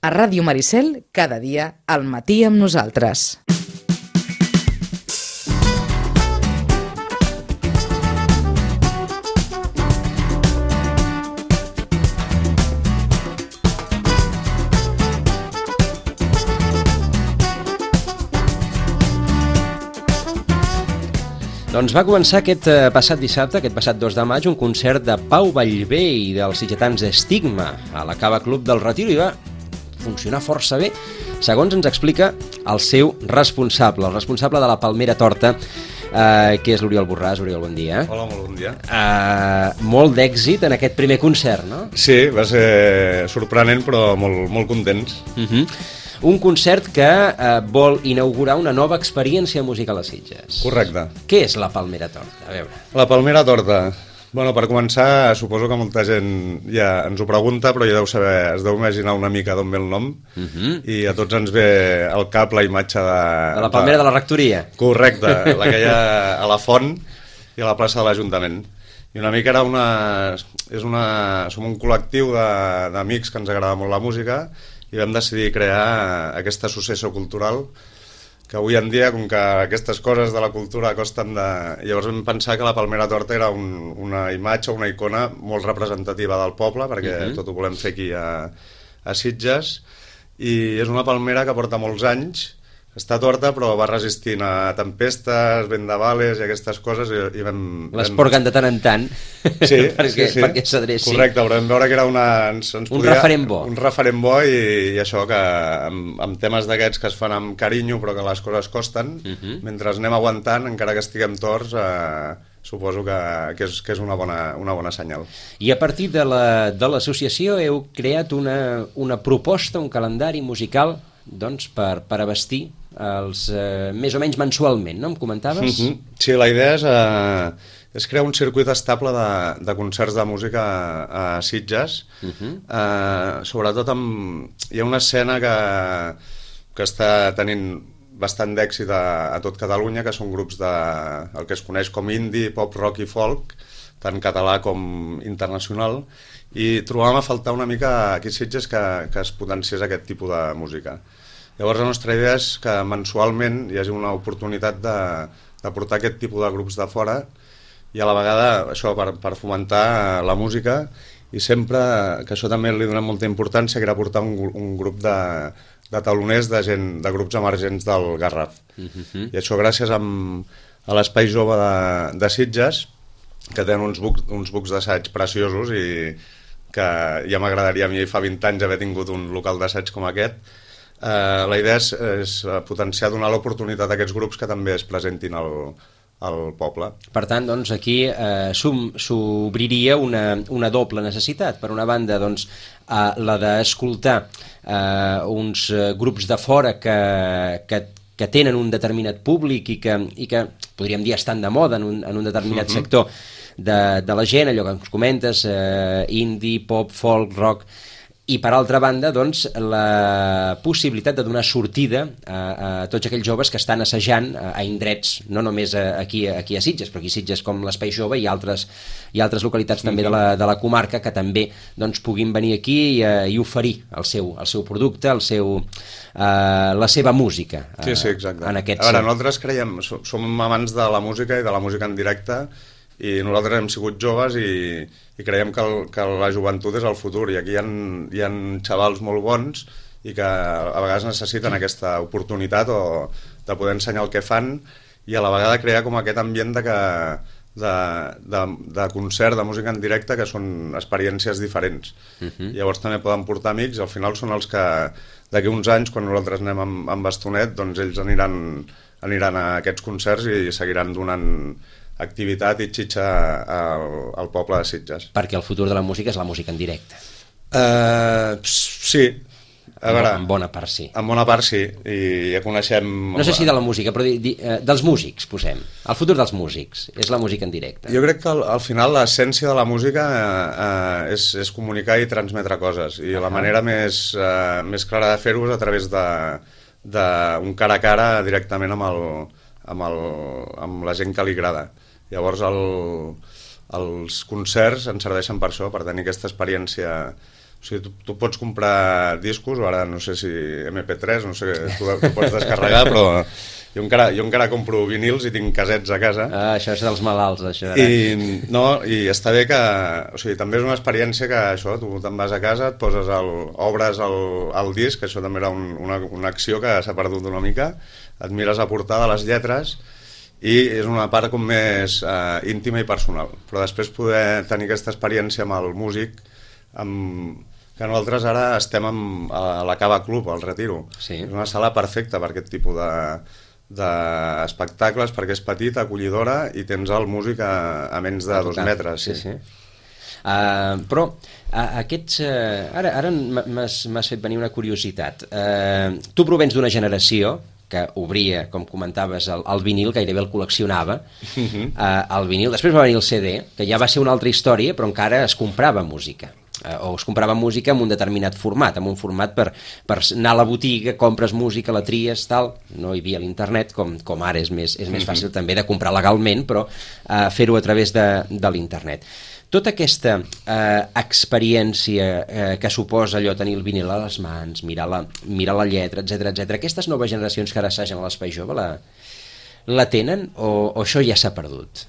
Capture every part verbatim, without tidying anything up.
A Ràdio Maricel, cada dia, al matí amb nosaltres. Doncs va començar aquest eh, passat dissabte, aquest passat dos de maig, un concert de Pau Vallvé i dels sitgetans Estigma a la Cava Club del Retiro i va funcionar força bé, segons ens explica el seu responsable, el responsable de la Palmera Torta, eh, que és l'Oriol Borràs. Oriol, bon dia. Hola, molt bon dia. Eh, molt d'èxit en aquest primer concert, no? Sí, va ser sorprenent, però molt, molt contents. Uh-huh. Un concert que eh, vol inaugurar una nova experiència musical a Sitges. Correcte. Què és la Palmera Torta? A veure. La Palmera Torta. Bueno, per començar, suposo que molta gent ja ens ho pregunta, però ja deu saber, es deu imaginar una mica d'on ve el nom, uh-huh. I a tots ens ve al cap la imatge de... De la Palmera de, de la Rectoria. Correcte, la que hi ha a la Font i a la plaça de l'Ajuntament. I una mica era una... És una... Som un col·lectiu d'amics que ens agrada molt la música i vam decidir crear aquesta associació cultural que avui en dia, com que aquestes coses de la cultura costen de... Llavors vam pensar que la Palmera Torta era un, una imatge, una icona molt representativa del poble, perquè uh-huh. tot ho volem fer aquí a, a Sitges, i és una palmera que porta molts anys, està torta però va resistint a tempestes, vendavales i aquestes coses i, i vam... Les porguen de tant en tant sí, perquè, sí, sí. perquè s'adreci. Correcte, però vam veure que era una... Ens, ens un podia, referent bo. Un referent bo i, i això que amb, amb temes d'aquests que es fan amb carinyo però que les coses costen, uh-huh. mentre anem aguantant, encara que estiguem torts, eh, suposo que, que, és, que és una bona, una bona senyal. I a partir de l'associació la, heu creat una, una proposta, un calendari musical doncs, per, per abastir els, eh, més o menys mensualment, no? Em comentaves? Uh-huh. Sí, la idea és, eh, és crear un circuit estable de, de concerts de música a, a Sitges. Uh-huh. eh, sobretot amb, hi ha una escena que, que està tenint bastant d'èxit a, a tot Catalunya, que són grups de el que es coneix com indie, pop, rock i folk, tant català com internacional, i trobàvem a faltar una mica aquí a Sitges que, que es potenciés aquest tipus de música. Llavors la nostra idea és que mensualment hi hagi una oportunitat de, de portar aquest tipus de grups de fora i a la vegada això per, per fomentar la música i sempre, que això també li donem molta importància, que era portar un, un grup de, de taloners de, gent, de grups emergents del Garraf. Uh-huh. I això gràcies amb, a l'Espai Jove de, de Sitges, que tenen uns bucs, uns bucs d'assaig preciosos i que ja m'agradaria a mi fa vint anys haver tingut un local d'assaig com aquest. Uh, la idea és, és potenciar, donar l'oportunitat a aquests grups que també es presentin al, al poble. Per tant, doncs, aquí eh, s'obriria una, una doble necessitat. Per una banda, doncs, eh, la d'escoltar eh, uns eh, grups de fora que, que, que tenen un determinat públic i que, i que podríem dir estan de moda en un, en un determinat uh-huh. sector de, de la gent, allò que ens comentes, eh, indie, pop, folk, rock... I per altra banda, doncs, la possibilitat de donar sortida a, a tots aquells joves que estan assajant a, a indrets, no només a, aquí, aquí a Sitges, però aquí a Sitges com l'Espai Jove i altres, i altres localitats també de la, de la comarca que també doncs, puguin venir aquí i, i oferir el seu, el seu producte, el seu, uh, la seva música. Uh, sí, sí, exacte. En aquest... A veure, nosaltres creiem, som amants de la música i de la música en directe i nosaltres hem sigut joves i, i creiem que, el, que la joventut és el futur i aquí hi ha, hi ha xavals molt bons i que a vegades necessiten aquesta oportunitat o de poder ensenyar el que fan i a la vegada crear com aquest ambient de, que, de, de, de concert, de música en directe que són experiències diferents. Uh-huh. Llavors també poden portar amics i al final són els que d'aquí uns anys quan nosaltres anem amb, amb bastonet doncs ells aniran, aniran a aquests concerts i seguiran donant activitat i xitxa al, al poble de Sitges. Perquè el futur de la música és la música en directe. Uh, sí. A veure, en bona part sí. En bona part sí, i ja coneixem... No sé si de la música, però di, di, uh, dels músics, posem. El futur dels músics és la música en directe. Jo crec que al, al final l'essència de la música uh, uh, és, és comunicar i transmetre coses, i uh-huh. la manera més, uh, més clara de fer-ho és a través d'un cara a cara directament amb, el, amb, el, amb la gent que li agrada. Llavors el, els concerts ens serveixen per això, per tenir aquesta experiència O sigui, tu, tu pots comprar discos, o ara no sé si eme pe tres, no sé, tu, tu pots descarregar, però jo encara, jo encara compro vinils i tinc casets a casa. Ah, això és dels malalts, això. I, no, i està bé que... O sigui, també és una experiència que això, tu te'n vas a casa, et poses el, obres el, el disc, això també era un, una, una acció que s'ha perdut una mica, et mires a portada les lletres, i és una part com més eh, íntima i personal. Però després poder tenir aquesta experiència amb el músic, amb, que nosaltres ara estem amb, a la Cava Club, al Retiro. Sí. És una sala perfecta per aquest tipus de d'espectacles, perquè és petita, acollidora, i tens el músic a, a menys de dos metres. Sí, sí. Uh, però uh, aquests... Uh, ara ara m'has fet venir una curiositat. Uh, tu provens d'una generació que obria, com comentaves, el, el vinil, gairebé el col·leccionava, uh, el vinil. Després va venir el ce de, que ja va ser una altra història, però encara es comprava música. Uh, o es comprava música en un determinat format, en un format per, per anar a la botiga, compres música, la tries, tal. No hi havia l'internet, com, com ara és més, és més fàcil també de comprar legalment, però uh, fer-ho a través de, de l'internet. Tota aquesta eh, experiència eh, que suposa allò tenir el vinil a les mans, mirar la, mirar la lletra, etcètera, etcètera, aquestes noves generacions que ara assagen a l'Espai Jove la, la tenen o, o això ja s'ha perdut?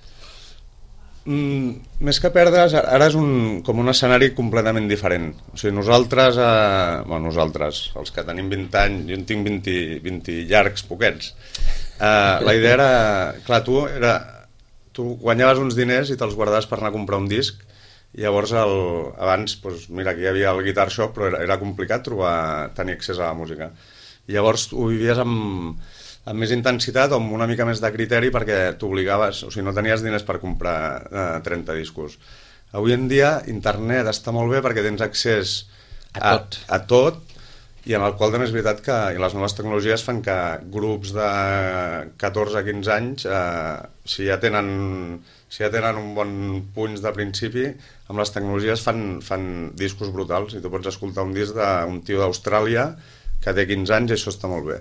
Mm, més que perdre's, ara és un, com un escenari completament diferent. O sigui, nosaltres, eh, bueno, nosaltres, els que tenim vint anys, jo en tinc vint, vint llargs, poquets, eh, la idea era, clar, tu era... tu guanyaves uns diners i te'ls guardaves per anar a comprar un disc, i llavors el, abans, doncs, mira, aquí hi havia el Guitar Shop, però era, era complicat trobar, tenir accés a la música. I llavors ho vivies amb, amb més intensitat o amb una mica més de criteri perquè t'obligaves, o sigui, no tenies diners per comprar eh, trenta discos. Avui en dia internet està molt bé perquè tens accés a, a tot, a tot i en el qual també és veritat que les noves tecnologies fan que grups de catorze a quinze anys, eh, si, ja tenen, si ja tenen un bon punys de principi, amb les tecnologies fan, fan discos brutals, i tu pots escoltar un disc d'un tio d'Austràlia que té quinze anys i això està molt bé.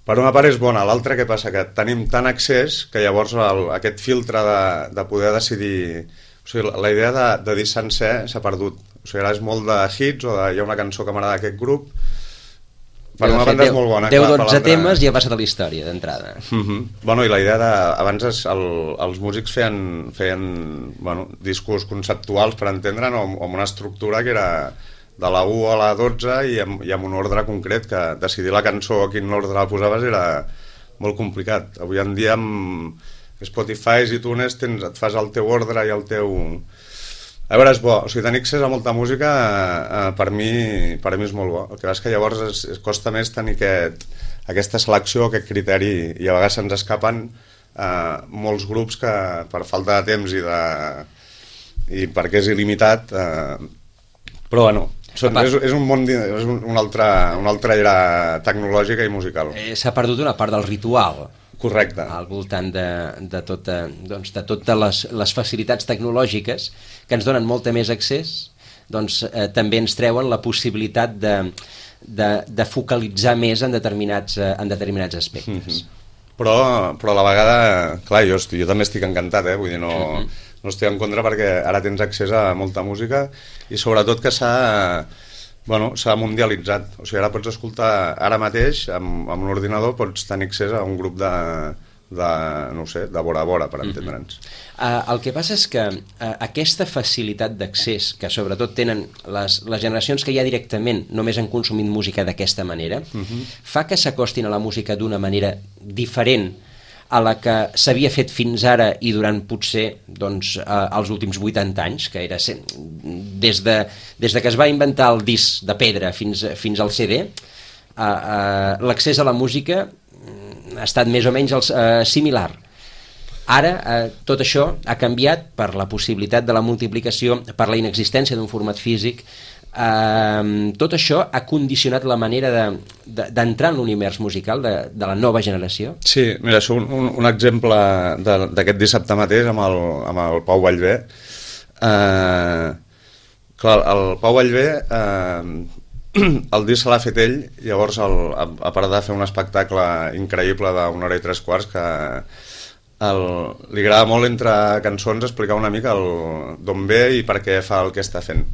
Per una part és bona, l'altra què passa? Que tenim tant accés que llavors el, aquest filtre de, de poder decidir... O sigui, la idea de, de dir sencer s'ha perdut. O sigui, ara és molt de hits o de, hi ha una cançó que m'agrada d'aquest grup. Per una banda és molt bona. deu dotze temes i ja passa de la història, d'entrada. Uh -huh. Bueno, i la idea de... Abans es, el, els músics feien, feien bueno, discos conceptuals, per entendre'n, o amb una estructura que era de la u a la dotze i amb, i amb un ordre concret, que decidir la cançó a quin ordre la posaves era molt complicat. Avui en dia amb Spotify i iTunes tens, et fas el teu ordre i el teu... A veure, és bo, o sigui, tenir accés a molta música eh, per, mi, per mi és molt bo. El que és que llavors es, es costa més tenir aquest, aquesta selecció, aquest criteri, i a vegades se'ns escapen eh, molts grups que per falta de temps i, de, i perquè és il·limitat, eh, però bueno, són, és, és un món, és una altra, una altra era tecnològica i musical. Eh, S'ha perdut una part del ritual. Correcte. Al voltant de, de, tota, doncs, de totes les, les facilitats tecnològiques que ens donen molta més accés, doncs eh, també ens treuen la possibilitat de, de, de focalitzar més en determinats, eh, en determinats aspectes. Mm-hmm. Però, però a la vegada, clar, jo, estic, jo també estic encantat, eh? Vull dir, no, mm-hmm. no estic en contra perquè ara tens accés a molta música i sobretot que s'ha... Bueno, s'ha mundialitzat, o sigui, ara pots escoltar ara mateix, amb, amb un ordinador pots tenir accés a un grup de, de no ho sé, de vora a vora, per entendre'ns. Uh, el que passa és que uh, aquesta facilitat d'accés que sobretot tenen les, les generacions que ja directament només han consumit música d'aquesta manera, uh-huh. fa que s'acostin a la música d'una manera diferent a la que s'havia fet fins ara i durant potser doncs, eh, els últims vuitanta anys, que era des de, des de que es va inventar el disc de pedra fins, fins al ce de, eh, eh, l'accés a la música ha estat més o menys el, eh, similar. Ara eh, tot això ha canviat per la possibilitat de la multiplicació, per la inexistència d'un format físic. Uh, tot això ha condicionat la manera d'entrar de, de, en l'univers musical de, de la nova generació? Sí, mira, això un, un, un exemple d'aquest dissabte mateix amb el, amb el Pau Vallvé. Uh, clar, el Pau Vallvé uh, el disc se l'ha fet ell, llavors el, a, a part de fer un espectacle increïble d'una hora i tres quarts que el, li agrada molt entre cançons explicar una mica d'on ve i per què fa el que està fent.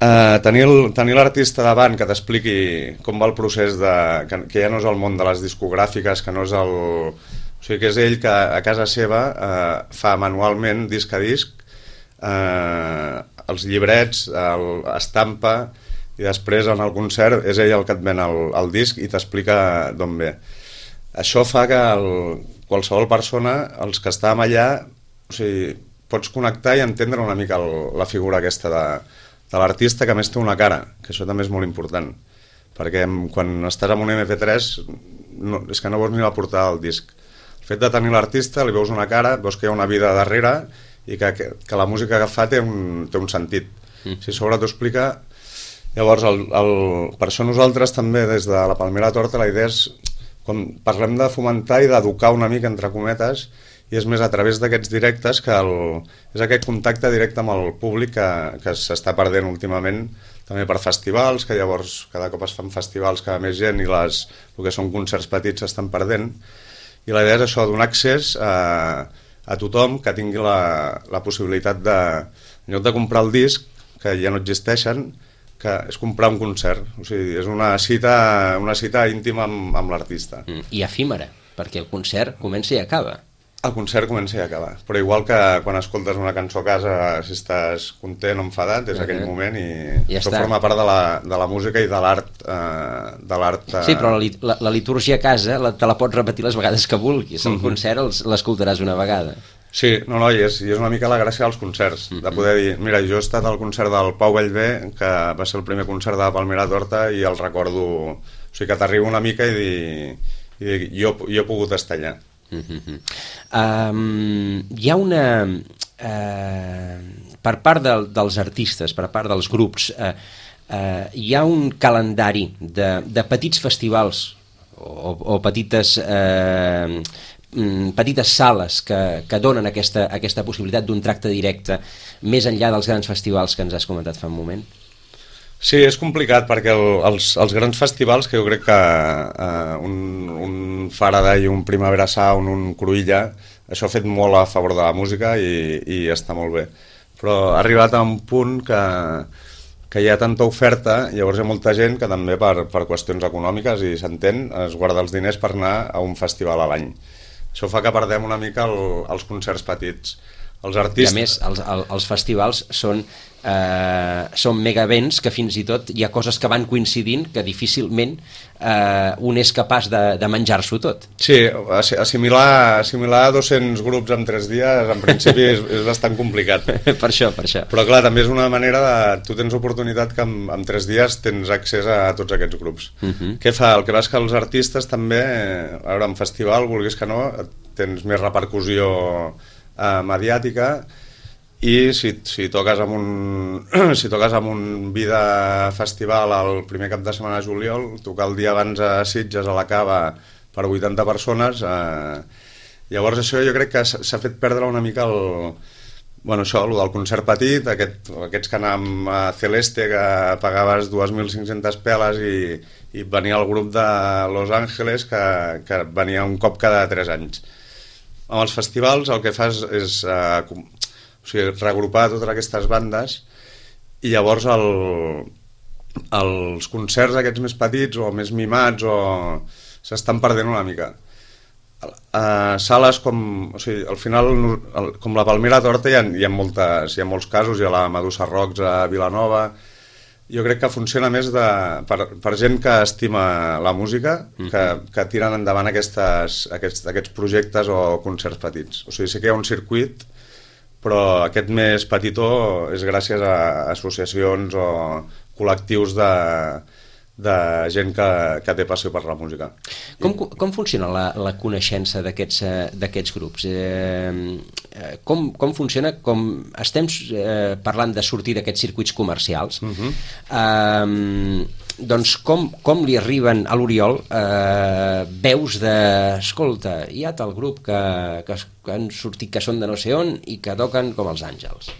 Uh, tenir tenir l'artista davant que t'expliqui com va el procés de, que, que ja no és el món de les discogràfiques, que no és el, o sigui que és ell que a casa seva uh, fa manualment disc a disc uh, els llibrets, el, estampa, i després en el concert és ell el que et ven el, el disc i t'explica d'on ve. Això fa que el, qualsevol persona, els que estàvem allà, o sigui, pots connectar i entendre una mica el, la figura aquesta de de l'artista, que a més té una cara, que això també és molt important, perquè quan estàs amb un eme pe tres no, és que no veus ni la portada del disc. El fet de tenir l'artista, li veus una cara, veus que hi ha una vida darrere i que, que, que la música que fa té un, té un sentit. Mm. Si sobre t'ho explica, llavors el, el, per això nosaltres també des de la Palmera Torta la idea és, com parlem de fomentar i d'educar una mica entre cometes, i és més a través d'aquests directes que el, és aquest contacte directe amb el públic que, que s'està perdent últimament, també per festivals, que llavors cada cop es fan festivals cada més gent i les, el que són concerts petits s'estan perdent, i la idea és això, donar accés a, a tothom que tingui la, la possibilitat de, en lloc de comprar el disc, que ja no existeixen, que és comprar un concert, o sigui, és una cita, una cita íntima amb, amb l'artista. Mm, i efímera, perquè el concert comença i acaba. El concert comença i acaba, però igual que quan escoltes una cançó a casa, si estàs content o enfadat, és uh -huh. aquell moment i ja això està. Forma part de la, de la música i de l'art. Eh, de l'art eh... Sí, però la, la, la litúrgia a casa la, te la pots repetir les vegades que vulguis, el uh -huh. concert l'escoltaràs una vegada. Sí, no, no, i és, i és una mica la gràcia dels concerts, uh -huh. de poder dir, mira, jo he estat al concert del Pau Bellver, que va ser el primer concert de la Palmera Torta, i el recordo, o sigui que t'arriba una mica i dir, i dir jo, jo he pogut estar allà. Uh-huh. Um, hi ha una uh, per part de, dels artistes, per part dels grups, uh, uh, hi ha un calendari de, de petits festivals o, o petites uh, petites sales que, que donen aquesta, aquesta possibilitat d'un tracte directe més enllà dels grans festivals que ens has comentat fa un moment? Sí, és complicat perquè el, els, els grans festivals, que jo crec que uh, un, un Faraday, un Primavera Sound, un Cruïlla, això ha fet molt a favor de la música i, i està molt bé. Però ha arribat a un punt que, que hi ha tanta oferta, llavors hi ha molta gent que també per, per qüestions econòmiques, i s'entén, es guarda els diners per anar a un festival a l'any. Això fa que perdem una mica el, els concerts petits. Els artistes... I a més, els, els festivals són eh, són megavents que fins i tot hi ha coses que van coincidint que difícilment eh, un és capaç de, de menjar-s'ho tot. Sí, assimilar, assimilar dos-cents grups en tres dies en principi és, és bastant complicat. Per això, per això. Però clar, també és una manera de... Tu tens oportunitat que en, en tres dies tens accés a tots aquests grups. Uh -huh. Què fa? El que va és que els artistes també, a veure, en festival, vulguis que no, tens més repercussió Uh, mediàtica, i si, si toques amb un si toques amb un Vida Festival el primer cap de setmana de juliol, tocar el dia abans a Sitges a la Cava per vuitanta persones, uh, llavors això jo crec que s'ha fet perdre una mica el, bueno, això, el del concert petit, aquest, aquests que anàvem a Celeste que pagaves dos mil cinc-centes peles i, i venia el grup de Los Ángeles que, que venia un cop cada tres anys. Amb els festivals el que fas és uh, com, o sigui, regrupar totes aquestes bandes, i llavors el, els concerts aquests més petits o més mimats o s'estan perdent una mica. Uh, sales com, o sigui, al final el, com la Palmera Torta hi ha, hi ha, moltes, hi ha molts casos, hi ha la Medusa Rocks a Vilanova. Jo crec que funciona més de, per, per gent que estima la música, que, que tiren endavant aquestes, aquests, aquests projectes o concerts petits. O sigui, sí que hi ha un circuit, però aquest més petitó és gràcies a associacions o col·lectius de, de gent que, que té passió per la música. Com, com funciona la, la coneixença d'aquests grups? Eh, com, com funciona? Com estem eh, parlant de sortir d'aquests circuits comercials, uh-huh. eh, doncs com, com li arriben a l'Oriol eh, veus de, escolta, hi ha tal grup que, que, que han sortit, que són de no sé on i que toquen com els àngels?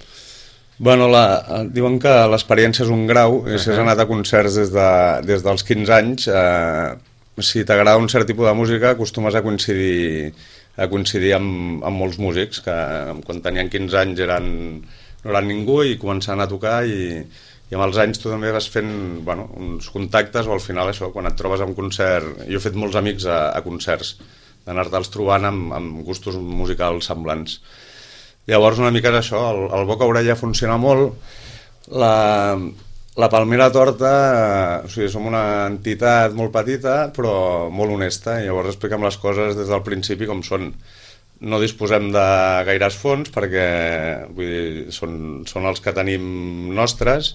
Bueno, la, diuen que l'experiència és un grau, i si has anat a concerts des, de, des dels quinze anys, eh, si t'agrada un cert tipus de música acostumes a coincidir, a coincidir amb, amb molts músics, que quan tenien quinze anys eren, no eren ningú i començaven a tocar, i, i amb els anys tu també vas fent bueno, uns contactes o al final això, quan et trobes a un concert, jo he fet molts amics a, a concerts, d'anar-te'ls trobant amb, amb gustos musicals semblants. Llavors una mica és això, el, el boca orella funciona molt, la, la Palmera Torta, o sigui, som una entitat molt petita però molt honesta, i llavors expliquem les coses des del principi com són. No disposem de gaires fons perquè vull dir, són, són els que tenim nostres,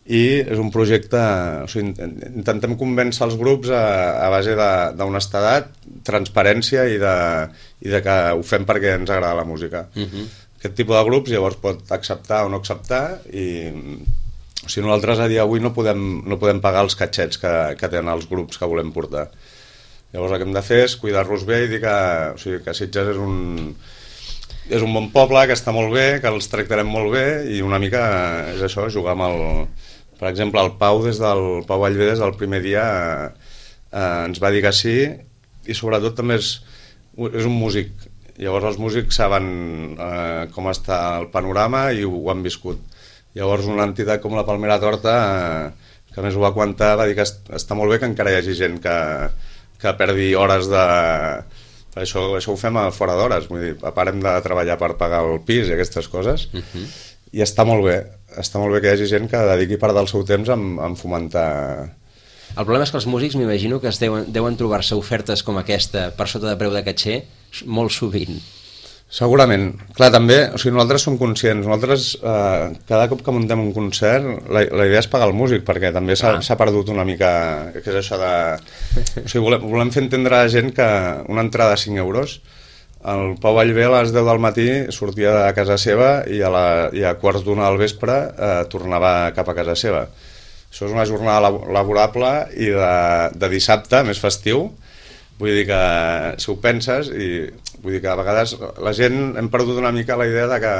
i és un projecte, o sigui, intentem convèncer els grups a, a base d'honestedat, transparència i de, i de que ho fem perquè ens agrada la música. Uh-huh. Aquest tipus de grups llavors pot acceptar o no acceptar, i o sigui, nosaltres a dia d'avui no podem, no podem pagar els catxets que, que tenen els grups que volem portar. Llavors el que hem de fer és cuidar-los bé i dir que, o sigui, que Sitges és un, és un bon poble, que està molt bé, que els tractarem molt bé, i una mica és això, jugar amb el... Per exemple, el Pau, des del Pau Vallvé, des del primer dia eh, ens va dir que sí, i sobretot també és, és un músic. Llavors els músics saben eh, com està el panorama i ho, ho han viscut. Llavors una entitat com la Palmera Torta, eh, que més ho va aguantar, va dir que està molt bé que encara hi hagi gent que que perdi hores de... Això, això ho fem a fora d'hores, vull dir, parem de treballar per pagar el pis i aquestes coses, uh-huh. I està molt bé, està molt bé que hi hagi gent que dediqui part del seu temps a, a fomentar... El problema és que els músics m'imagino que es deuen, deuen trobar-se ofertes com aquesta per sota de preu de caixer molt sovint. Segurament. Clar, també, o sigui, nosaltres som conscients, nosaltres eh, cada cop que muntem un concert la, la idea és pagar el músic, perquè també s'ha ah. perdut una mica, que és això de... O sigui, volem, volem fer entendre a la gent que una entrada de cinc euros, el Pau Vallvé a les deu del matí sortia de casa seva i a, la, i a quarts d'una del vespre eh, tornava cap a casa seva. Això és una jornada laborable i de, de dissabte, més festiu. Vull dir que si ho penses, i vull dir que a vegades la gent hem perdut una mica la idea de que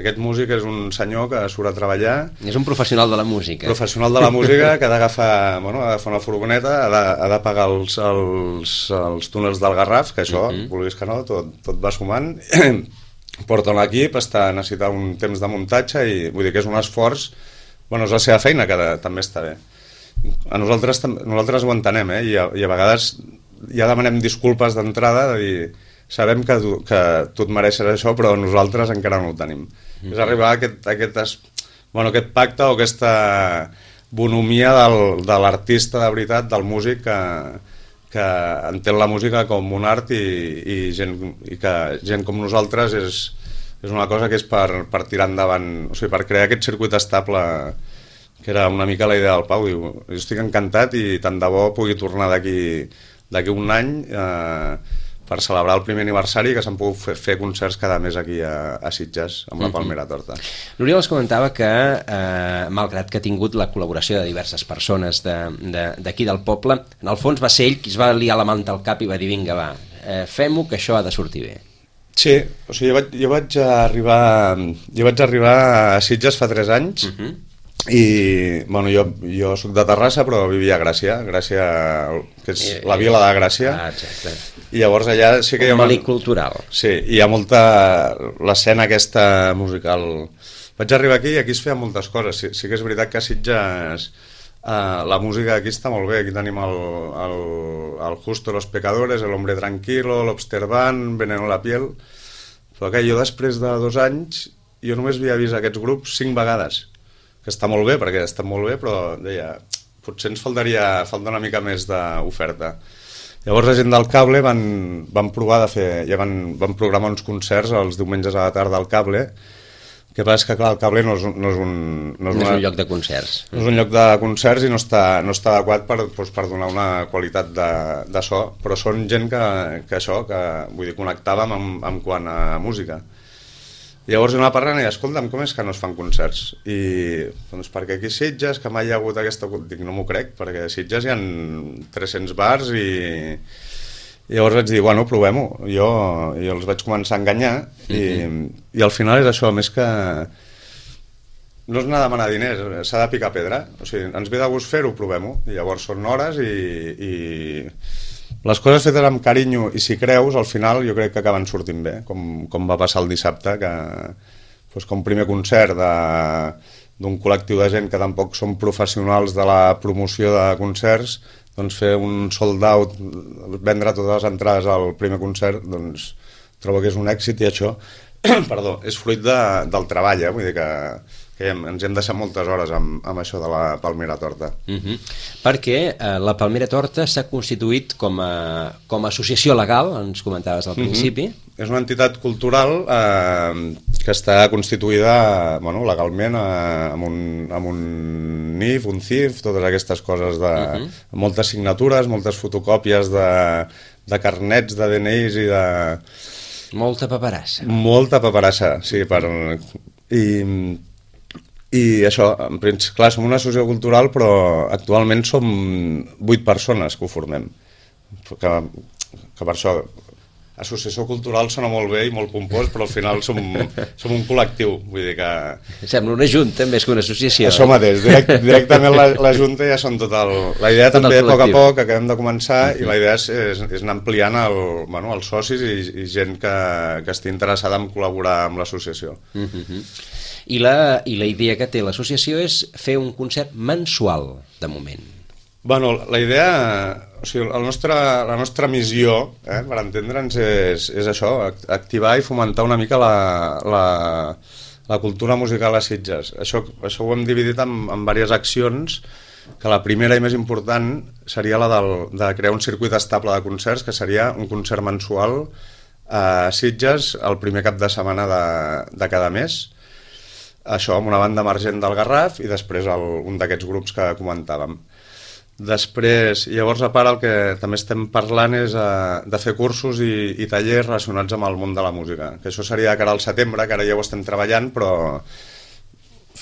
aquest músic és un senyor que surt a treballar. És un professional de la música. Professional de la música que ha d'agafar bueno, una furgoneta, ha de, ha de pagar els, els, els túnels del Garraf, que això, uh-huh. vulguis que no, tot, tot va sumant. Porta un equip, està, necessita un temps de muntatge i vull dir que és un esforç, bueno, és la seva feina, que de, també està bé. A nosaltres, nosaltres ho entenem, eh? I, a, i a vegades ja demanem disculpes d'entrada, de dir, sabem que tu, que tu et mereixes això, però nosaltres encara no ho tenim. Mm-hmm. És arribar a aquest, a aquest, bueno, aquest pacte o aquesta bonomia del, de l'artista de veritat, del músic que, que entén la música com un art i, i, gent, i que gent com nosaltres és, és una cosa que és per, per tirar endavant, o sigui, per crear aquest circuit estable, que era una mica la idea del Pau. Diu, jo estic encantat i tant de bo pugui tornar d'aquí d'aquí un any eh, per celebrar el primer aniversari, que s'han pogut fer, fer concerts cada mes aquí a, a Sitges amb la Palmera Torta. L'Oriol es comentava que eh, malgrat que ha tingut la col·laboració de diverses persones d'aquí de, de, del poble, en el fons va ser ell qui es va liar la manta al cap i va dir vinga va, eh, fem-ho que això ha de sortir bé. Sí, o sigui, jo vaig, jo vaig arribar jo vaig arribar a Sitges fa tres anys. Uh-huh. I bueno, jo, jo soc de Terrassa però vivia a Gràcia, Gràcia que és I, la vila de Gràcia. Ah, exacte. I llavors allà sí que un hi ha melic cultural. Sí, hi ha molta l'escena aquesta musical. Vaig arribar aquí i aquí es feien moltes coses. Sí, sí que és veritat que a Sitges eh, la música aquí està molt bé. Aquí tenim el, el, el Justo los Pecadores, el Hombre Tranquilo, l'Obster Band, Veneno la Piel. Però que jo després de dos anys jo només havia vist aquests grups cinc vegades, que està molt bé, perquè està molt bé, però deia, potser ens faltaria falta una mica més d'oferta. Llavors la gent del Cable van, van provar de fer, ja van, van programar uns concerts els diumenges a la tarda al Cable, que passa que clar, el Cable no és, no és, un, no és, no és una, un lloc de concerts. No és un lloc de concerts i no està, no està adequat per, doncs, per donar una qualitat de, de so, però són gent que, que això, que vull dir, connectàvem amb, amb quant a música. Llavors una parlant i escolta'm, com és que no es fan concerts? I doncs perquè aquí a Sitges, que mai hi ha hagut aquesta... Dic, no m'ho crec, perquè a Sitges hi ha tres-cents bars i... I llavors vaig dir, bueno, provem-ho. Jo, jo els vaig començar a enganyar i, mm-hmm. i al final és això, més que... No és anar a demanar diners, s'ha de picar pedra. O sigui, ens ve de gust fer-ho, provem-ho. I llavors són hores i... i... les coses fetes amb carinyo i si creus, al final jo crec que acaben sortint bé, com, com va passar el dissabte, que doncs, com primer concert de, d'un col·lectiu de gent que tampoc són professionals de la promoció de concerts, doncs fer un sold out, vendre totes les entrades al primer concert, doncs trobo que és un èxit i això perdó, és fruit de, del treball, eh? Vull dir que, que hem, ens hem deixat moltes hores amb, amb això de la Palmera Torta. Uh-huh. Perquè eh, la Palmera Torta s'ha constituït com a, com a associació legal, ens comentaves al principi. Uh-huh. És una entitat cultural eh, que està constituïda bueno, legalment eh, amb, un, amb un N I F, un C I F, totes aquestes coses de uh-huh. moltes signatures, moltes fotocòpies de, de carnets, de D N Is i de... Molta paperassa. Molta paperassa, sí. Per... I, I això, en principi, clar, som una associació cultural, però actualment som vuit persones que ho formem. Que, que per això... Associació cultural sona molt bé i molt pompós, però al final som, som un col·lectiu, vull dir que... Sembla una junta més que una associació. Això mateix, direct, directament la, la junta ja són tot el... La idea tot també, a poc a poc, acabem de començar, uh-huh. i la idea és, és, és anar ampliant el, bueno, els socis i, i gent que, que estigui interessada en col·laborar amb l'associació. Uh-huh. I, la, I la idea que té l'associació és fer un concert mensual, de moment. Bueno, la idea... O sigui, el nostre, la nostra missió, eh, per entendre'ns, és, és això, activar i fomentar una mica la, la, la cultura musical a Sitges. Això, això ho hem dividit en, en diverses accions, que la primera i més important seria la del, de crear un circuit estable de concerts, que seria un concert mensual a Sitges el primer cap de setmana de, de cada mes. Això amb una banda emergent del Garraf i després el, un d'aquests grups que comentàvem. Després, llavors a part el que també estem parlant és uh, de fer cursos i, i tallers relacionats amb el món de la música, que això seria cara al setembre, que ara ja ho estem treballant, però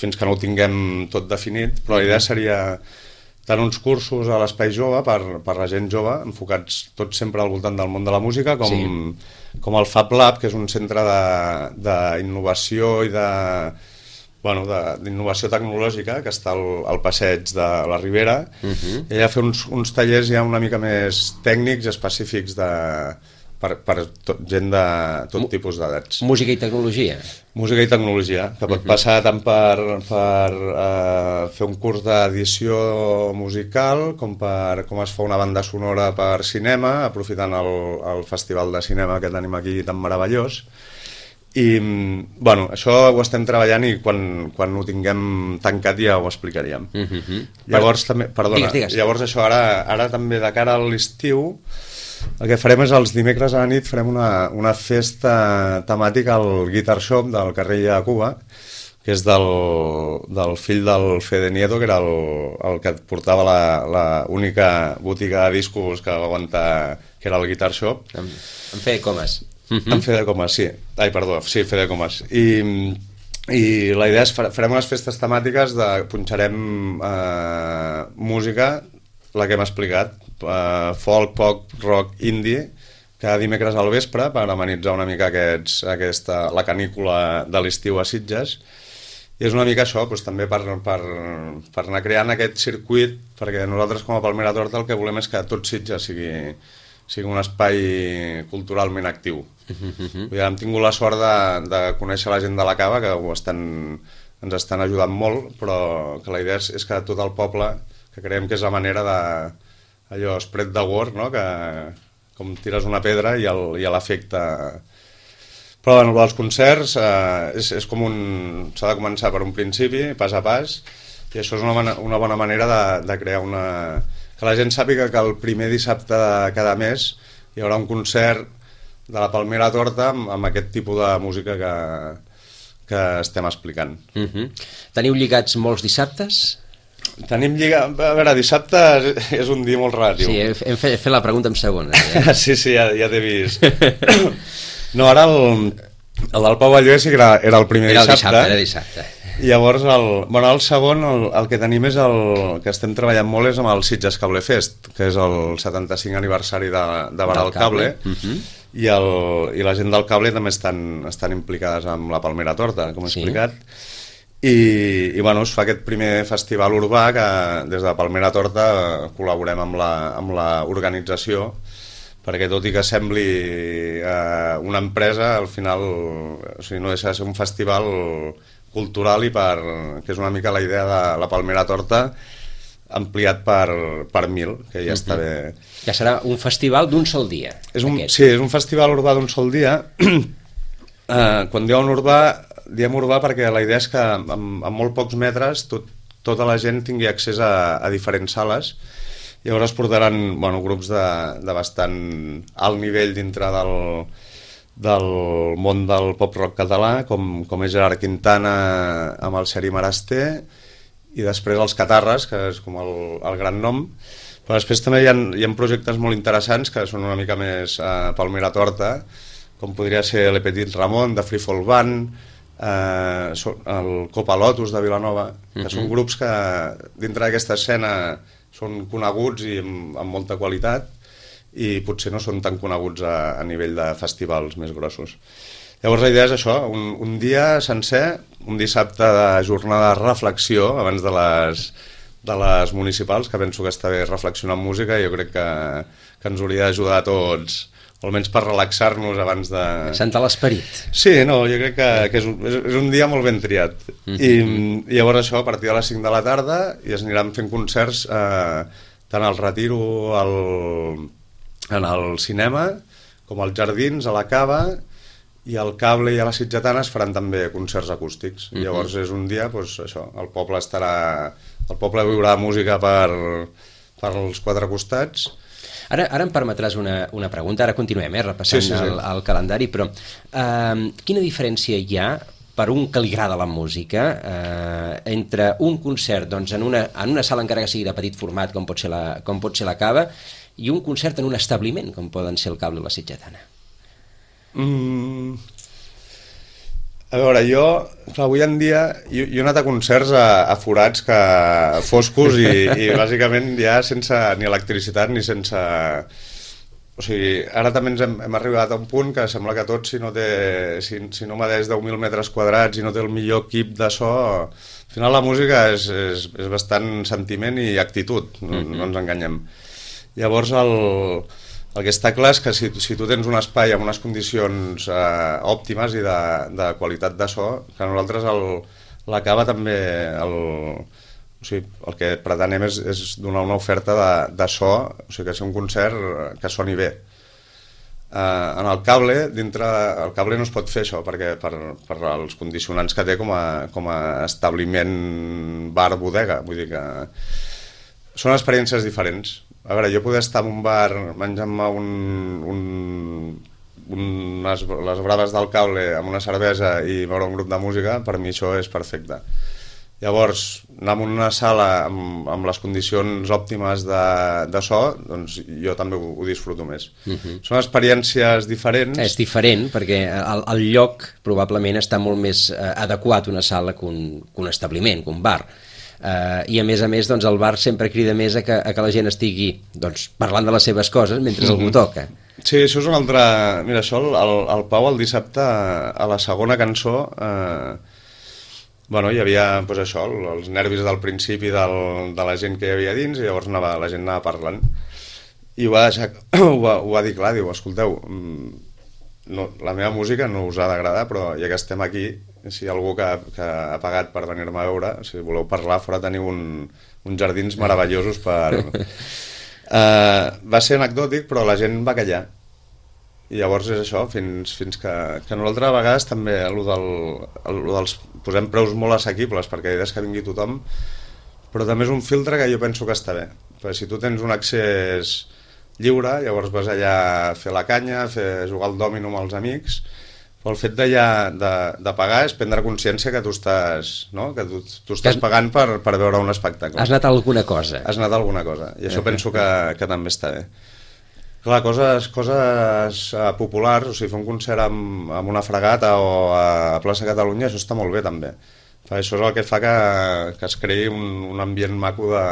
fins que no ho tinguem tot definit, però la idea seria tant uns cursos a l'Espai Jove per, per la gent jove, enfocats tots sempre al voltant del món de la música, com, sí. com el Fab Lab, que és un centre d'innovació i de... Bueno, d'innovació tecnològica, que està al, al passeig de la Ribera, uh-huh. i allà fer uns, uns tallers ja una mica més tècnics, específics de, per, per tot, gent de tot M tipus d'edats. Música i tecnologia. Música i tecnologia, que pot uh-huh. passar tant per, per uh, fer un curs d'edició musical, com per com es fa una banda sonora per cinema, aprofitant el, el festival de cinema que tenim aquí tan meravellós. I, bueno, això ho estem treballant i quan, quan ho tinguem tancat ja ho explicaríem. Uh-huh. Llavors, també, perdona, digues, digues. Llavors això ara, ara també de cara a l'estiu, el que farem és els dimecres a la nit farem una, una festa temàtica al Guitar Shop del carrer de Cuba, que és del, del fill del Fede Nieto, que era el, el que portava la, la única botiga de discos que va aguantar, que era el Guitar Shop. En, en Fede Comas. Uh-huh. En Fede Comas, sí. Ai, perdó, sí, Fede Comas. I, i la idea és farem unes festes temàtiques de punxarem eh, música, la que hem explicat, eh, folk, pop, rock, indie, cada dimecres al vespre per amenitzar una mica aquests, aquesta, la canícula de l'estiu a Sitges. I és una mica això, doncs, també per, per, per anar creant aquest circuit, perquè nosaltres com a Palmera Torta el que volem és que tot Sitges sigui, sigui un espai culturalment actiu. Uh-huh. Hem tingut la sort de, de conèixer la gent de la Cava, que ho estan, ens estan ajudant molt, però que la idea és, és que tot el poble, que creiem que és la manera de allò, spread the word, no? Que com tires una pedra i l'efecte... Però bueno, els concerts eh, és, és com un... s'ha de començar per un principi, pas a pas, i això és una, una bona manera de, de crear una... que la gent sàpiga que el primer dissabte de cada mes hi haurà un concert de la Palmera Torta amb, amb aquest tipus de música que, que estem explicant. Uh-huh. Teniu lligats molts dissabtes? Tenim lligat... A veure, dissabte és un dia molt relatiu. Sí, hem fet, fet la pregunta en segona. Eh? sí, sí, ja, ja t'he vist. No, ara el, el del Pau Balló sí que era, era el primer era el dissabte. Era dissabte. I llavors, el, bueno, el segon, el, el que tenim és el que estem treballant molt és amb el Sitges Cable Fest, que és el setanta-cinc aniversari de, de Baral Cable, cable. Uh-huh. I, el, i la gent del cable també estan, estan implicades amb la Palmera Torta, com he sí. explicat. I, i bueno, es fa aquest primer festival urbà que des de Palmera Torta col·laborem amb la, amb la organització, perquè tot i que sembli eh, una empresa, al final o sigui, no deixa de ser un festival cultural i per, que és una mica la idea de la Palmera Torta ampliat per, per mil, que ja està bé. Ja serà un festival d'un sol dia. És un, sí, és un festival urbà d'un sol dia. eh, quan diuen urbà, diem urbà perquè la idea és que en, en molt pocs metres tot, tota la gent tingui accés a, a diferents sales. Llavors es portaran bueno, grups de, de bastant alt nivell dintre del, del món del pop-rock català, com, com és Gerard Quintana amb el Seri Marasté, i després els Catarres, que és com el, el gran nom. Però després també hi ha, hi ha projectes molt interessants que són una mica més eh, Palmera Torta, com podria ser Le Petit Ramon, de Free Fall Band, eh, el Copa Lotus de Vilanova, que uh-huh. són grups que dintre d'aquesta escena són coneguts i amb, amb molta qualitat i potser no són tan coneguts a, a nivell de festivals més grossos. Llavors la idea és això, un, un dia sencer, un dissabte de jornada de reflexió abans de les, de les municipals, que penso que està bé reflexionar en música i jo crec que, que ens hauria d'ajudar a tots, o almenys per relaxar-nos abans de... Sentar l'esperit. Sí, no, jo crec que, que és, un, és un dia molt ben triat. Mm-hmm. I, I llavors això, a partir de les cinc de la tarda, i es aniran fent concerts eh, tant al Retiro, al, en el cinema, com als Jardins, a la Cava, i al Cable i a la Sitgetana es faran també concerts acústics. Mm-hmm. Llavors és un dia, doncs això, el poble estarà... El poble viurà música per, per els quatre costats. Ara, ara em permetràs una, una pregunta, ara continuem eh, repassant sí, sí, sí. El, el calendari, però eh, quina diferència hi ha per un que li agrada la música eh, entre un concert doncs, en, una, en una sala encara que sigui de petit format com pot ser la, com pot ser la Cava i un concert en un establiment com poden ser el Cable o la Sitgetana? Mm. A veure, jo, clar, avui en dia, jo, jo he anat a concerts a, a forats que, foscos i, i bàsicament ja sense ni electricitat ni sense... O sigui, ara també ens hem, hem arribat a un punt que sembla que tot, si no té, si, si no medeix deu mil metres quadrats i no té el millor equip de so, al final la música és, és, és bastant sentiment i actitud, no, mm-hmm. no ens enganyem. Llavors el... El que està clar és que si, si tu tens un espai amb unes condicions eh, òptimes i de, de qualitat de so, que nosaltres el, la Cava també, el, o sigui, el que pretenem és, és donar una oferta de, de so, o sigui, que sigui un concert que soni bé. Eh, en el Cable, dintre, el Cable no es pot fer això, perquè per, per els condicionants que té com a, com a establiment bar-bodega, vull dir que són experiències diferents. A veure, jo poder estar en un bar menjant-me un, un, unes, les braves del Cable amb una cervesa i veure un grup de música, per mi això és perfecte. Llavors, anar a una sala amb, amb les condicions òptimes de, de so, doncs jo també ho, ho disfruto més. Uh-huh. Són experiències diferents. És diferent, perquè el, el lloc probablement està molt més eh, adequat una sala que un, que un establiment, que un bar. Uh, i a més a més doncs, el bar sempre crida més a que, a que la gent estigui doncs, parlant de les seves coses mentre mm-hmm. algú toca. Sí, això és una altra... Mira, això el, el Pau el dissabte a la segona cançó eh, bueno, hi havia pues, això, els nervis del principi del, de la gent que hi havia dins i llavors anava, la gent anava parlant i ho va, deixar, ho va, ho va dir clar, diu, escolteu, no, la meva música no us ha d'agradar, però ja que estem aquí, si hi ha algú que, que ha pagat per venir-me a veure, si voleu parlar, fora teniu un, uns jardins meravellosos per... Uh, va ser anecdòtic, però la gent va callar. I llavors és això, fins, fins que, que nosaltres a vegades també allò del, allò dels, posem preus molt assequibles perquè la idea és que vingui tothom, però també és un filtre que jo penso que està bé. Perquè si tu tens un accés lliure, llavors vas allà a fer la canya, a fer, jugar al dòmino amb els amics, però el fet de, ja, de, de pagar és prendre consciència que tu estàs, no? que tu, tu estàs pagant per, per veure un espectacle. Has anat a alguna cosa. Has anat a alguna cosa, i això uh-huh. penso que, que també està bé. Clar, coses, coses uh, populars, o sigui, fer un concert amb, amb una fregata o a Plaça Catalunya, això està molt bé també. Això és el que fa que, que es creï un, un ambient maco de...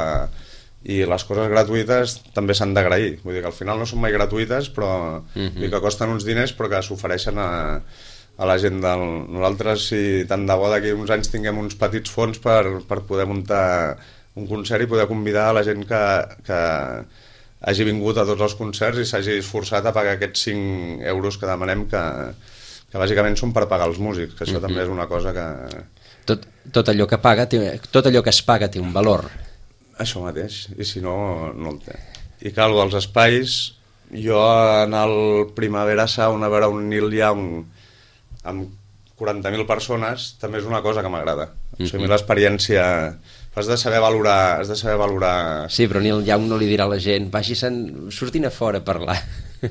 i les coses gratuïtes també s'han d'agrair. Vull dir que al final no són mai gratuïtes, però uh-huh. vull dir que costen uns diners però que s'ofereixen a, a la gent del... Nosaltres, si tant de bo d'aquí uns anys tinguem uns petits fons per, per poder muntar un concert i poder convidar a la gent que... que hagi vingut a tots els concerts i s'hagi esforçat a pagar aquests cinc euros que demanem, que, que bàsicament són per pagar els músics, que això mm-hmm. també és una cosa que... Tot, tot, allò que paga té, tot allò que es paga té un valor. Això mateix, i si no, no el té. I cal, els espais, jo en el Primavera Sound a veure un Neil Young amb quaranta mil persones també és una cosa que m'agrada. Mm-hmm. O sigui, l'experiència... Has de saber valorar... Has de saber valorar... Sí, però Neil Young no li dirà a la gent vagi-se'n, surtin a fora a parlar.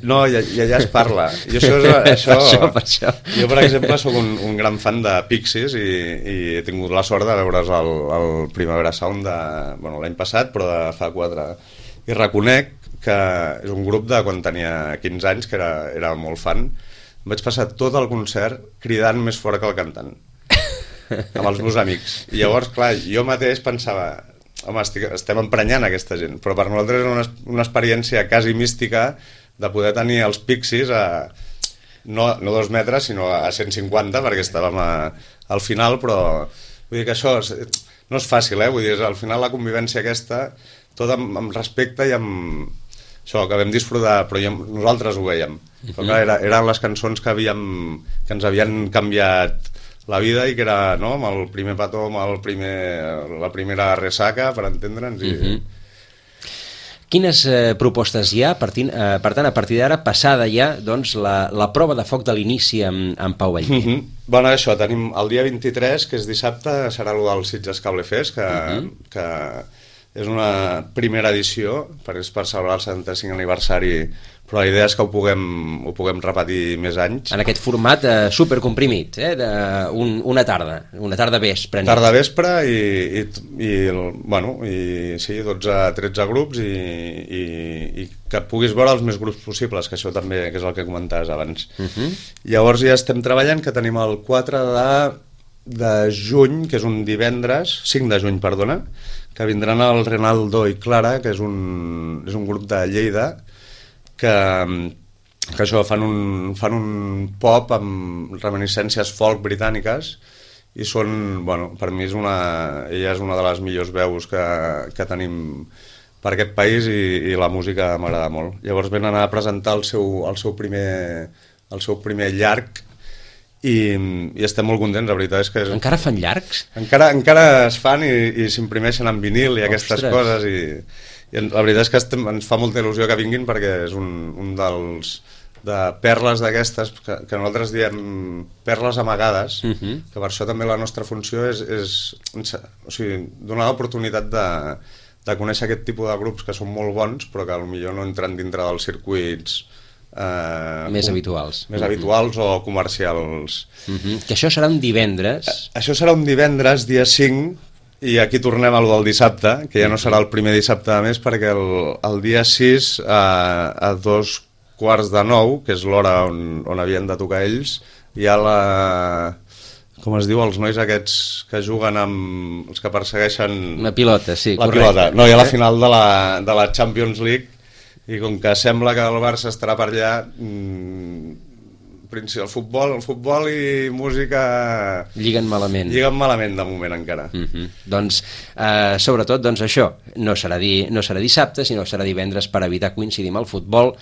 No, i, i allà es parla. I això és, això, per això, per això. Jo, per exemple, sóc un, un gran fan de Pixies i, i he tingut la sort de veure's el, el Primavera Sound de, bueno, l'any passat, però de fa quatre. I reconec que és un grup de quan tenia quinze anys, que era, era molt fan. Em vaig passar tot el concert cridant més fort que el cantant, amb els meus amics. I llavors, clar, jo mateix pensava, home, estic, estem emprenyant aquesta gent, però per nosaltres era una, una experiència quasi mística de poder tenir els Pixies a, no, no dos metres, sinó a cent cinquanta, perquè estàvem a, al final, però vull dir que això és, no és fàcil, eh? Vull dir, al final la convivència aquesta, tot amb, amb respecte i amb... Això, que vam disfrutar, però ja, nosaltres ho veiem. Però clar, era, eren les cançons que, havíem, que ens havien canviat la vida i que era, no?, amb el primer petó, amb el primer, la primera ressaca, per entendre'ns. I... Uh-huh. Quines eh, propostes hi ha? Partint, eh, per tant, a partir d'ara, passada ja doncs, la, la prova de foc de l'inici amb, amb Pau Vallvé. Uh-huh. Bueno, això, tenim el dia vint-i-tres, que és dissabte, serà el del Sitges Cable Fest, que... Uh-huh. que és una primera edició, per, per celebrar el setanta-cinc aniversari, però la idea és que ho puguem, ho puguem repetir més anys. En aquest format eh, supercomprimit, eh, de un, una tarda, una tarda vespre. Nit. Tarda vespre i, i, i, bueno, i sí, dotze a tretze grups i, i, i que puguis veure els més grups possibles, que això també que és el que comentaves abans. Uh-huh. Llavors ja estem treballant, que tenim el quatre de, de juny, que és un divendres, cinc de juny, perdona, que vindran el Renaldo i Clara, que és un, és un grup de Lleida, que, que això, fan un, fan un pop amb reminiscències folk britàniques, i són, bueno, per mi és una, ella és una de les millors veus que, que tenim per aquest país i, i la música m'agrada molt. Llavors venen a presentar el seu, el seu, primer, el seu primer llarg, I, i estem molt contents, la veritat és que... És... Encara fan llargs? Encara, encara es fan i, i s'imprimeixen en vinil i aquestes Ostres. coses i, i la veritat és que estem, ens fa molta il·lusió que vinguin perquè és un, un dels de perles d'aquestes que, que nosaltres diem perles amagades, uh-huh. que per això també la nostra funció és, és o sigui, donar l'oportunitat de, de conèixer aquest tipus de grups que són molt bons però que potser no entren dintre dels circuits Uh, més habituals més uh-huh. habituals o comercials. Uh-huh. Que això serà un divendres. A, això serà un divendres, dia cinc, i aquí tornem a lo del dissabte, que ja no serà el primer dissabte de mes, perquè el, el dia sis a, a dos quarts de nou, que és l'hora on, on havien de tocar ells, hi ha la... com es diu, els nois aquests que juguen amb... els que persegueixen... Una pilota, sí, la correcte. Pilota. No, hi ha la final de la, de la Champions League, i com que sembla que el Barça estarà per allà, mmm, el futbol, el futbol i música... Lliguen malament. Lliguen malament de moment encara. Uh-huh. Doncs, eh, sobretot, doncs això, no serà, di, no serà dissabte, sinó serà divendres per evitar coincidir amb el futbol,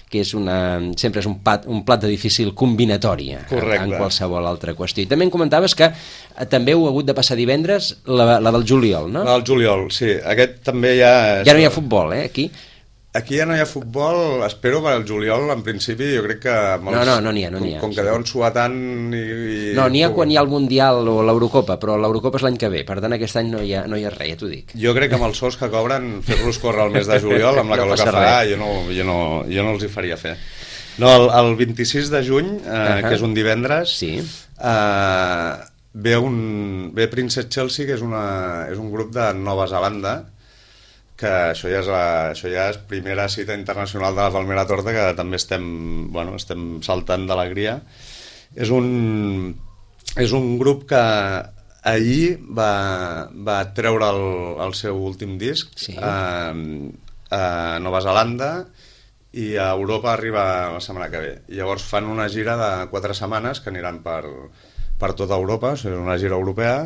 que és una, sempre és un, pat, un plat de difícil combinatòria en, en qualsevol altra qüestió. I també em comentaves que eh, també heu hagut de passar divendres la, la del juliol, no? La del juliol, sí. Aquest també ja... Ja no hi ha futbol, eh, aquí? Aquí ja no hi ha futbol, espero per al juliol, en principi, jo crec que... Els, no, no, no n'hi ha, no n'hi ha. Com, com que deuen suar tant i... i... No, n'hi ha quan hi ha el Mundial o l'Eurocopa, però l'Eurocopa és l'any que ve, per tant aquest any no hi ha, no hi ha res, ja t'ho dic. Jo crec que amb els sous que cobren, fer-los córrer el mes de juliol, amb la calor no que farà, jo no, jo, no, jo no els hi faria fer. No, el, el vint-i-sis de juny, eh, uh-huh. que és un divendres, sí. eh, ve, un, ve Princess Chelsea, que és, una, és un grup de Nova Zelanda, que això ja, és la, això ja és primera cita internacional de la Palmera Torta, que també estem, bueno, estem saltant d'alegria. És un, és un grup que ahir va, va treure el, el seu últim disc, sí. a, a Nova Zelanda, i a Europa arriba la setmana que ve. I llavors fan una gira de quatre setmanes que aniran per, per tota Europa, o sigui, una gira europea,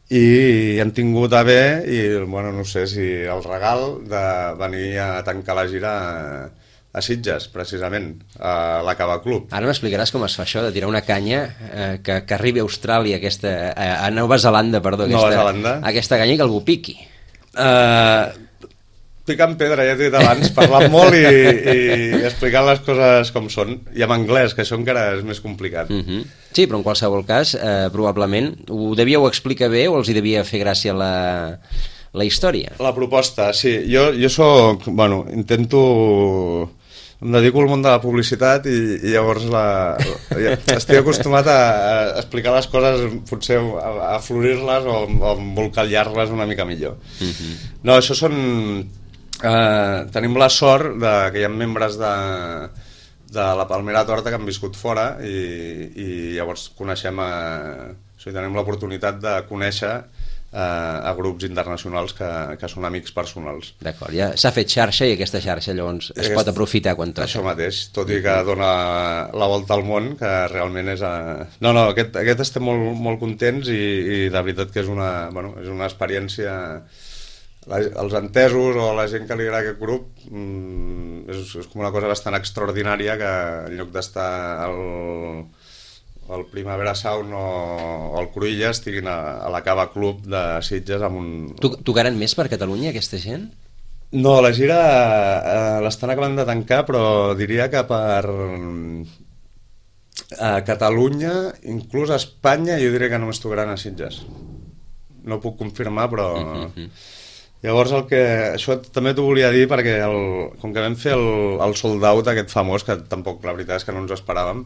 i han tingut a bé, i bueno, no sé si el regal de venir a tancar la gira a, a Sitges, precisament, a la Cava Club. Ara m'explicaràs com es fa això de tirar una canya eh, que, que arribi a Austràlia, aquesta, a, a Nova Zelanda, perdó, aquesta, Nova Zelanda. aquesta canya i que algú piqui. Uh, picant pedra, ja t'he dit abans, parlant molt i, i explicant les coses com són, i en anglès, que això encara és més complicat. Uh-huh. Sí, però en qualsevol cas, eh, probablement, ho devíeu explicar bé o els hi devia fer gràcia la, la història? La proposta, sí. Jo, jo soc, bueno, intento... Em dedico al món de la publicitat i, i llavors la, la, estic acostumat a, a explicar les coses, potser a, a florir-les o, o embolcallar-les una mica millor. Uh-huh. No, això són... Eh, tenim la sort de, que hi ha membres de, de la Palmera Torta que han viscut fora i, i llavors coneixem a, o sigui, tenim l'oportunitat de conèixer a grups internacionals que, que són amics personals. D'acord, ja s'ha fet xarxa i aquesta xarxa llavors es Aquest, pot aprofitar quan toca. Això mateix, tot i que dona la volta al món, que realment és... A... No, no, aquest, aquest estem molt, molt contents i, i de veritat que és una, bueno, és una experiència... La, els entesos o la gent que li agrada aquest grup mmm, és, és com una cosa bastant extraordinària que en lloc d'estar al... el Primavera Sound o, o el Cruïlla estiguin a, a la Cava Club de Sitges amb un... Tocaran més per Catalunya aquesta gent? No, la gira eh, l'estan acabant de tancar, però diria que per a Catalunya, inclús a Espanya, jo diria que només tocaran a Sitges. No ho puc confirmar, però... Uh-huh. Llavors el que... Això també t'ho volia dir perquè el, com que vam fer el, el sold out aquest famós, que tampoc la veritat és que no ens ho esperàvem,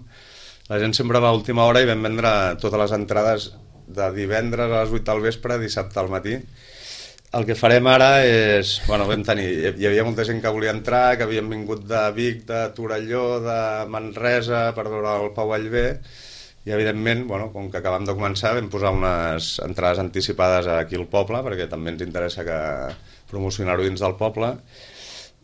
la gent sempre va a última hora i vam vendre totes les entrades de divendres a les vuit del vespre a dissabte al matí. El que farem ara és... Bueno, vam tenir... Hi havia molta gent que volia entrar, que havien vingut de Vic, de Torelló, de Manresa, per veure el Pau Vallvé, i evidentment, bueno, com que acabem de començar, vam posar unes entrades anticipades aquí al poble, perquè també ens interessa que promocionar-ho dins del poble.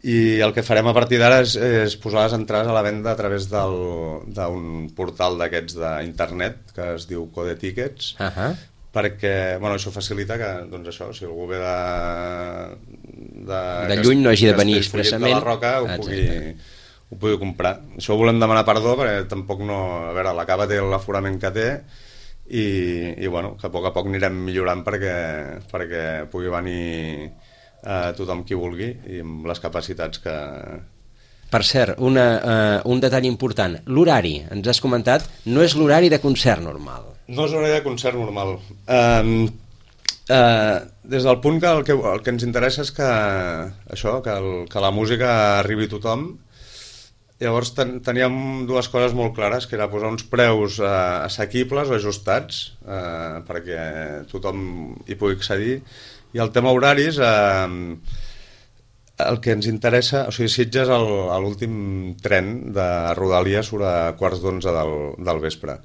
I el que farem a partir d'ara és, és posar les entrades a la venda a través d'un portal d'aquests d'internet que es diu Code Tickets, uh-huh. perquè bueno, això facilita que doncs això, si algú ve de, de, de lluny no hagi de venir expressament de la Roca ho pugui, ho pugui comprar. Això ho volem demanar perdó perquè tampoc no... A veure, la Cava té l'aforament que té i, i bueno, que a poc a poc anirem millorant perquè, perquè pugui venir a tothom qui vulgui i amb les capacitats que... Per cert, una, uh, un detall important, l'horari, ens has comentat, no és l'horari de concert normal. No és l'horari de concert normal. Um, uh, des del punt que el, que el que ens interessa és que això, que, el, que la música arribi a tothom. Llavors ten, teníem dues coses molt clares, que era posar uns preus uh, assequibles o ajustats uh, perquè tothom hi pugui accedir. I el tema horaris, eh, el que ens interessa, o sigui, Sitges a l'últim tren de Rodalia surt a quarts d'onze del, del vespre.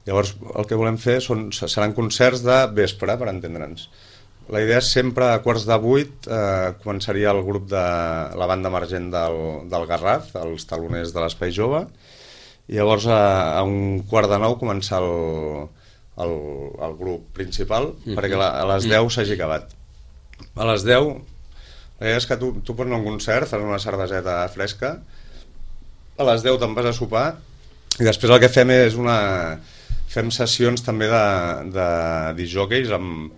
Llavors el que volem fer són, seran concerts de vespre, per entendre'ns. La idea és sempre a quarts de vuit eh, començaria el grup de la banda emergent del, del Garraf, els taloners de l'Espai Jove, i llavors a, a un quart de nou començar el, el, el grup principal, mm-hmm. perquè la, a les deu s'hagi acabat. A les deu, la idea és que tu, tu pots anar a un concert, fas una cerveseta fresca, a les deu te'n vas a sopar, i després el que fem és una... fem sessions també de, de disjòqueis amb,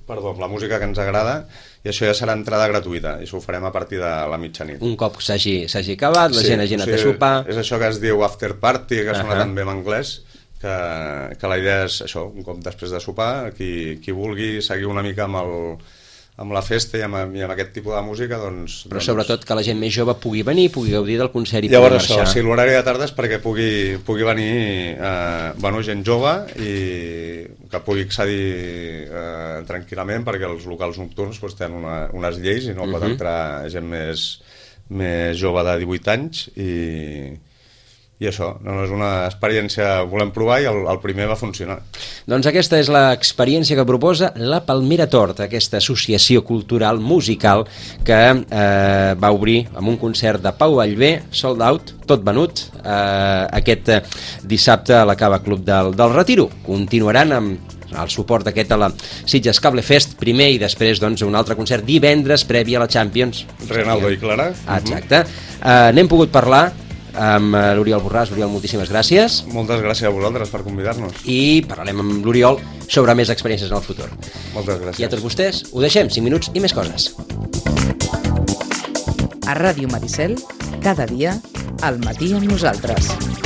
perdó, amb la música que ens agrada, i això ja serà entrada gratuïta, i això ho farem a partir de la mitjanit. Un cop s'hagi acabat, la sí, gent hagi anat o sigui, a sopar... És això que es diu after party, que uh-huh. sona també en anglès, que, que la idea és això, un cop després de sopar, qui, qui vulgui seguir una mica amb, el, amb la festa i amb, i amb aquest tipus de música, doncs... Però doncs... sobretot que la gent més jove pugui venir, pugui gaudir del concert i llavors pugui marxar. Això, sí, l'horari de tarda és perquè pugui, pugui venir eh, bueno, gent jove i que pugui accedir eh, tranquil·lament, perquè els locals nocturns doncs, tenen una, unes lleis i no uh-huh. pot entrar gent més, més jove de divuit anys i... I això, no, és una experiència que volem provar i el, el primer va funcionar. Doncs aquesta és l'experiència que proposa la Palmera Torta, aquesta associació cultural musical que eh, va obrir amb un concert de Pau Vallvé, sold out, tot venut, eh, aquest dissabte a la Cava Club del, del Retiro. Continuaran amb el suport aquest a la Sitges Cable Fest primer i després doncs, un altre concert divendres previ a la Champions. Reinaldo i Clara. Exacte. Uh, N'hem pogut parlar amb l'Oriol Borràs. Oriol, moltíssimes gràcies. Moltes gràcies a vosaltres per convidar-nos. I parlarem amb l'Oriol sobre més experiències en el futur. Moltes gràcies. I a tots vostès, ho deixem, cinc minuts i més coses. A Ràdio Maricel, cada dia, al matí amb nosaltres.